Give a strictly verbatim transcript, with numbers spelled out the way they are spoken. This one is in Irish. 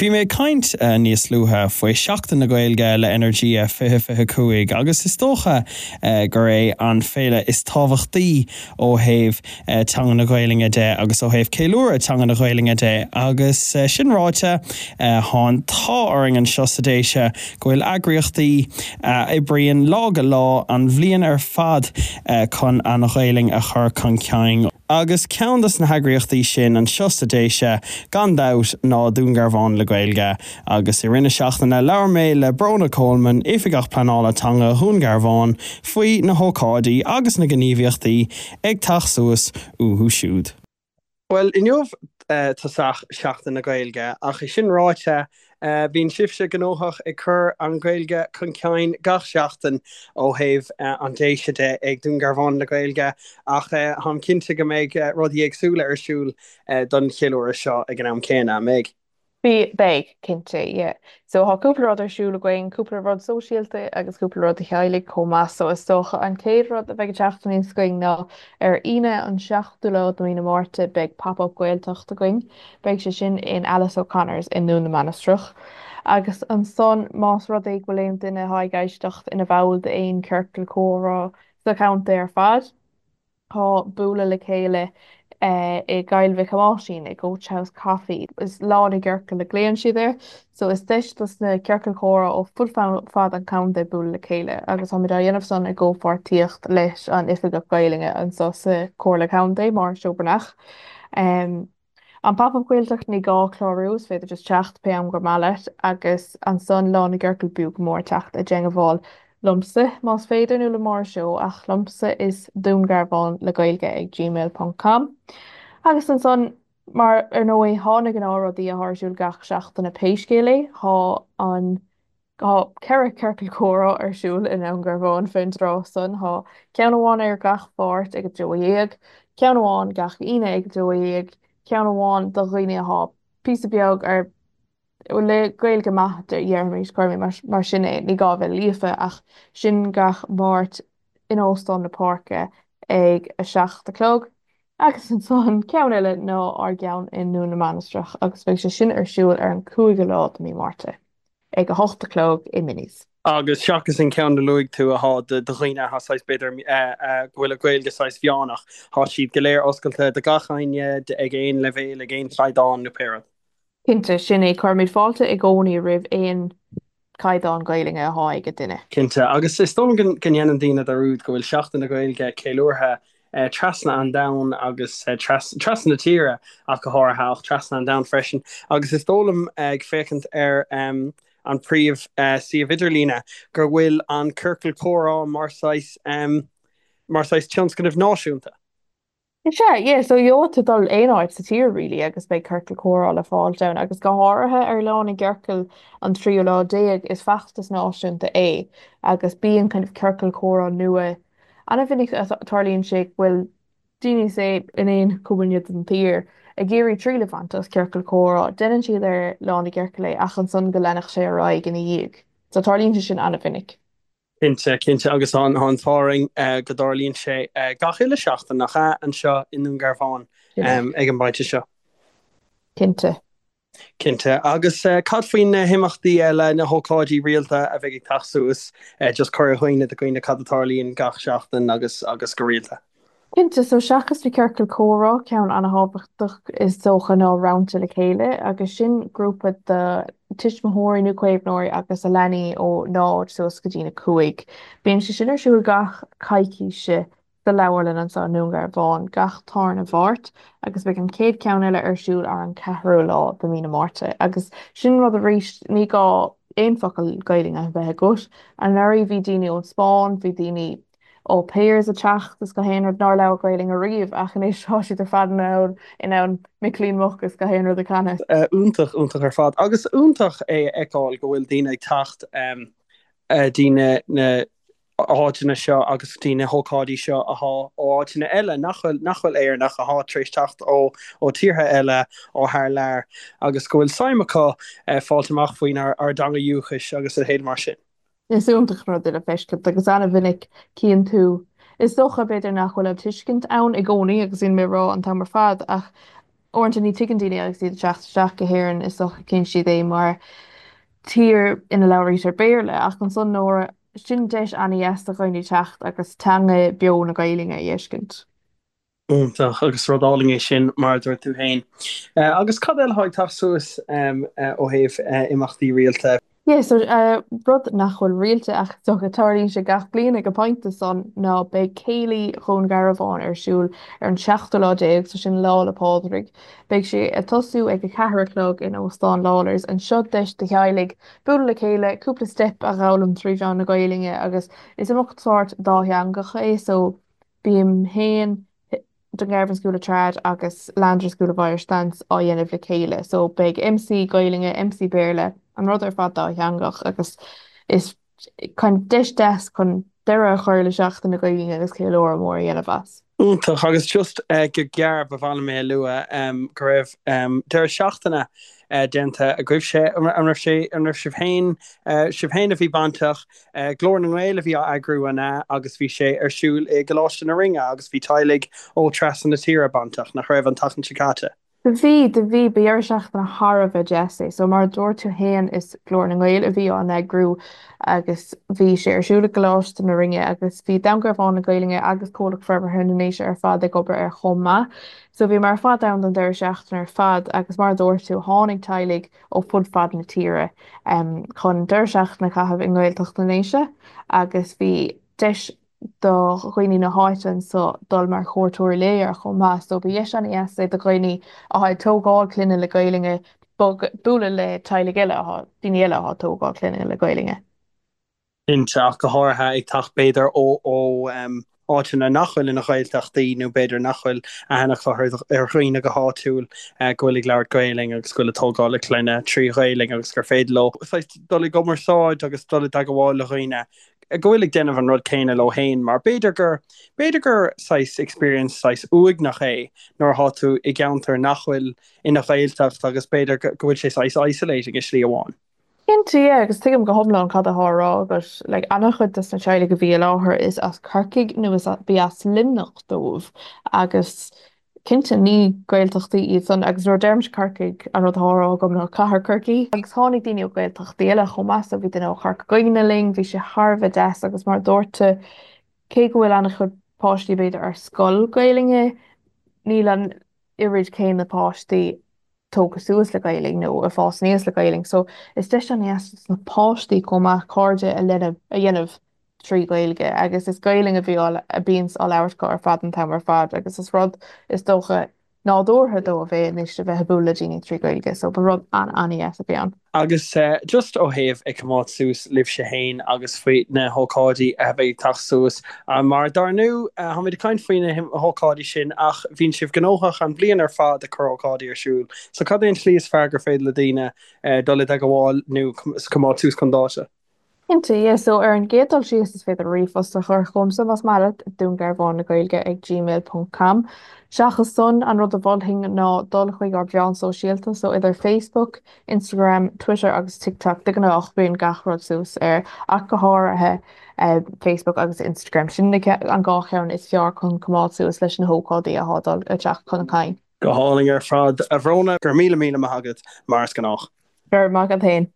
Bhí mé ag caint níos luaithe faoi Seachtain na Gaeilge le Energia fiche fiche cúig agus is dócha gur é an féile is tábhachtaí ó thaobh teanga na Gaeilge de agus ó thaobh ceiliúradh teanga na Gaeilge de agus sin ráite tá an t-ádh orainn anseo sa Déise go bhfuil eagraíochtaí a oibríonn lá go lá an bhliain ar fad chun an Ghaeilge a chur chun cinn. Agus ceann des na heagraíochtaí sin anseo sa Déise gan dabht ná Dún Garbhán le Gaeilge, agus i rith na seachtaine labhair mé le Bróna Coleman, Oifigeach Pleanála Teanga Dhún Garbhán, faoi na hócáidí agus na gníomhaíochtaí ag teacht suas uathu siúd. Bhuel, inniu tosach Seachtain na Gaeilge, ach é sin ráite, bíonn sibhse gnóthach ag cur an Ghaeilge chun cinn gach seachtain ó thaobh an Déise de ag Dún Garbhán le Gaeilge, ach táim cinnte go mbeidh rudaí éagsúla ar siúl don cheiliúradh seo ag an am céanna, an mbeidh? Bí, beidh, cinnte, yeah. So tá cúpla rud ar siúl againn, cúpla rud sóisialta agus cúpla rud do theaghlaigh chomh maith. So is dócha an chéad rud a bheidh ag teacht aníos againn ná ar Aoine an seachtú lá de mhí na Márta beidh Pop-up Gaeltacht againn. Beidh sé sin in Alice O'Connor's i nDún na Mainistreach. Agus ansan más rud é go bhfuil aon duine atá ag éisteacht ina bhall d'aon ciorcal comhrá sa chontae ar fad, Tá bualadh le chéile i gCoill Mhic Thomáisín i Coach House Coffee. Is Lá na gCiorcal a ghlaonn siad air. So is deis dos na ciorcail chomhrá ó fud fad an chontae bualadh le chéile agus táimid á dhéanamh san i gcomhpháirtíocht leis an Oifigeach Gaelainne anseo sa Chomhairle Contae, Máire Seó Breathnach. An Pop-Up Gaeltacht, ní gá clárú, is féidir just teacht pé am gur maith leat agus ansan Lá na gCiorcal b'fhiú go mór teacht i dteangmháil liomsa más féidir nó le Máire Seó ach liomsa is Dún Garbhán le Gaeilge ag gmail ponc com. Agus ansan mar ar ndóigh thá na gnáthrudaí athá ar siúl gach seachtain pé scéal é, thá an thá ceithre ciorcal comhrá ar siúl i nDún Garbhán fén dtráth san, thá ceann amháin ar gach Mháirt ag a dó dhéag, ceann amháin gach Aoine ag a dó dhéag, ceann amháin do dhaoine athá píosa beag ar le Gaeilge maith déarfaimis, cuirfidh mé mar sin é, ní gá a bheith líofa ach sin gach Máirt in Óstán na Páirce ag a seacht a chlog. Agus ansan ceann eile ná ár gceann i nDún na Mainistreach agus beidh sé sin ar siúl ar an cúigiú lá de mhí Márta ag a hocht a chlog i Minnie's. Agus seachas an ceann a luaigh tú athá do dhaoine athá saghas b'fhéidir go bhfuil a Gaeilge saghas mheánach, thá siad go léir oscailte do gach éinne ag aon leibhéal, ag aon chaighdeán nó pé rud. Cinnte, sin é. Cuirimid fáilte i gcónaí roimh aon chaighdeán Gaelainne athá ag duine. Cinnte, agus is dóigh liom go ndéanann daoine dearúd go bhfuil Seachtain na Gaeilge ceiliúrtha trasna an domhain agus trasna na tíre ach go háirithe, ach trasna an domhain freisin. Agus is dóigh liom, ag féachaint ar an príomh suíomh idirlíne, go bhfuil an Ciorcal Comhrá mar saghas mar saghas tionscnamh náisiúnta. Is ea, yeah, so gheobhaidh tú dul aon áit sa tír really agus beidh ciorcal comhrá le fáilt ann agus go háirithe ar Lá na gCiorcal an tríú lá déag is feachtas náisiúnta é agus bíonn kind of ciorcal comhrá nua an-mhinic tarlaíonn sé go bhfuil daoine say in aon chúinne den tír ag iarraidh triail a bhaint as ciorcal comhrá, déanann siad ar Lá na gCiorcal é ach ansan go leanfadh sé ar aghaidh ina dhiaidh. So tarlaíonn sé sin an-mhinic. Cinnte, cinnte, agus tá an t-ádh orainn go dtarlaíonn sé gach uile seachtain, nach ea, anseo i nDún Garbhán ag an bpointe seo. Cinnte. Cinnte. Agus cad faoi na himeachtaí eile, na hócáidí rialta a bheidh ag teacht suas, just cuir i gcuimhne do dhaoine cad a tarlaíonn gach seachtain agus agus go rialta. Cinnte, so seachas na ciorcail comhrá, ceann an-thábhachtach is dócha ná Rannta le Chéile agus sin grúpa de tuismitheoirí nó caomhnóirí agus a leanaí ó náid suas go dtína cúig. Bíonn sé sin ar siúl gach coicíse sa leabharlann anseo i nDún Garbhán gach tarna Mháirt agus beidh an chéad ceann eile ar siúl ar an ceathrú lá de mhí na Márta agus sin rud arís ní gá aon focal Gaelainne a bheith agat. Anuraidh bhí daoine ón Spáinn, bhí daoine au pairs ag teacht is gach aon rud nár labhair Gaelainn ariamh ach anois tá siad ar fad in ann in ann Micilín Muc is gach aon rud a chanadh. Iontach, iontach ar fad. Agus iontach é a fheiceáil go bhfuil daoine ag teacht dtí na na háiteanna seo agus dtí na hócáidí seo athá ó áiteanna eile nach bhfuil nach bhfuil Éireannach, athá tar éis teacht ó ó tíortha eile ó thar lear agus go bhfuil suim acu fáilt amach faoin ár ár dteanga dhúchais agus a leithéid mar sin. Is iontach an rud é le feiscint agus an-mhinic cíonn tú, is dócha b'fhéidir nach bhfuil an tuiscint ann i gcónaí agus níl mé ag rá an t-am ar fad ach Uaireanta ní tuigeann daoine agus iad ag teacht isteach go hÉirinn is dócha cíonn siad é mar tír ina labhraítear Béarla ach ansan nuair sin deis an-dheas do dhaoine teacht agus teanga beo na Gaeilge a fheiscint. Iontach agus rud álainn é sin mar a dúirt tú féin. Agus cad eile atá ag teacht suas ó thaobh imeachtaí rialta? Yeah, so uh, rud nach bhfuil rialta ach so go tarlaíonn sé gach bliain ag an bpointe san ná beidh Céilí Dhún Garbhán ar siúl ar an seachtú lá déag, so sin Lá 'le Pádraig. Beidh sé ag tosú ag a ceathair a chlog in Óstán Lawlor's anseo deis do theaghlaigh bualadh le chéile, cúpla step a fhoghlaim trí mheán na Gaeilge agus is imeacht sórt dátheangach é, so bím féin Dungarvan School of Trad agus Landry School of Irish Dance á dhéanamh le chéile. So beidh MC Gaeilge, MC Béarla, an rud ar fad dátheangach agus is kind of deis deas chun deireadh a chur le Seachtain na Gaeilge agus ceiliúradh mór a dhéanamh as. Iontach agus just uh, go gearr ba mhaith liom é a lua um, go raibh um, deireadh seachtaine uh, déanta agaibhse an raibh sé an raibh sibh féin uh, sibh féin a bhí bainteach uh, Glór na nGael a bhí á eagrú an ea agus bhí sé ar siúl i gColáiste na Rinne agus bhí teaghlaigh ó trasna na tíre bainteach nach raibh an tseachtain seo caite. Do bhí do bhí ba dheireadh seachtaine thar a bheith deas é, so mar dúirt tú féin is Glór na nGael a bhí á eagrú agus bhí sé ar siúl i gColáiste na Rinne agus bhí Dún Garbhán na Gaeilge agus Comhlacht Forbartha na nDéise ar fad ag obair ar chomh maith. So bhí mar fad ann don deireadh seachtaine ar fad agus mar dúirt tú tháinig teaghlaigh ó fud fad na tíre um, chun deireadh seachtaine a chaitheamh i nGaeltacht na nDéise agus bhí deis do dhaoine na háite anso dul mar chuairteoirí lae ar chomh maith, so ba dheis an-deas é do dhaoine atá ag tógáil clainne le Gaeilge bualadh le teaghlaigh eile atá daoine eile atá ag tógáil clainne le Gaeilge. Iontach go háirithe ag teacht b'fhéidir ó ó um, áiteanna nach bhfuil ina Ghaeltachtaí nó b'fhéidir nach bhfuil aithne ar dhaoine go háitiúil uh, go bhfuil ag labhairt Gaeilge agus go bhfuil ag tógáil a clainne trí Ghaeilge agus gur féidir leo dul i gcumarsáid agus dul i dteagmháil le dhaoine go bhfuil ag déanamh an rud céanna leo féin mar b'fhéidir gur b'fhéidir gur saghas experience saghas uaigneach é nuair atá tú i gceantar nach bhfuil ina Ghaeltacht agus b'fhéidir go bhfuil sé saghas isolating i slí amháin. Cinnte agus tuigim go hiomlán cad atá á rá agus like, an-chuid des na teaghlaigh a bhí i láthair is as Corcaigh nó is bhí as Luimneach dóibh agus cinnte ní Gaeltachtaí iad san agus nuair deirimse Corcaigh an rud atá á rá agam ná cathair Chorcaí. Agus tháinig daoine ó Ghaeltachtaí eile chomh maith so bhí duine ó Chorca Dhuibhne linn, bhí sé thar a bheith deas agus mar dúirt tú cé go bhfuil an-chuid páistí b'fhéidir ar scoil Gaeilge, níl an oiread céanna páistí tógtha suas le Gaeilge nó ag fás aníos le Gaeilge, so is deis an-deas na páistí chomh maith cairde a lena a dhéanamh trí Ghaeilge agus is Gaeilge a bhí a bhíonn á labhairt acu ar fad an t-am ar fad agus is rud is dócha nádúrtha dóibh é anois a bheith ag bualadh le daoine trí Ghaeilge, so ba rud an-an-deas a bhí ann. Agus uh, just ó thaobh ag coimeád suas libhse féin agus faoi na hócáidí a bheidh ag teacht suas uh, mar dar ndóigh uh, táimid ag caint faoi na hócáidí sin ach bhíonn sibh gnóthach an bhliain ar fad ag cur ócáidí ar siúl. So cad é an tslí is fearr gur féidir le daoine uh, dul i dteagmháil nó coimeád suas chun dáta. Cinnte, yeah, so ar an gcéad dul síos is féidir ríomhphost a chur chugamsa más maith leat Dún Garbhán na Gaeilge ag gmail.com. Seachas san an rud a mholfainn ná dul chuig ár meáin sóisialta, so idir Facebook, Instagram, Twitter agus TikTok de ghnáth bíonn gach rud suas air ach go háirithe uh, Facebook agus Instagram sin an dhá cheann is fearr chun coimeád suas leis na hócáidí atá dul a teacht chun cinn. Go hálainn ar fad a Bhróna gur míle míle maith agat mar is gnách. Gur maith féin.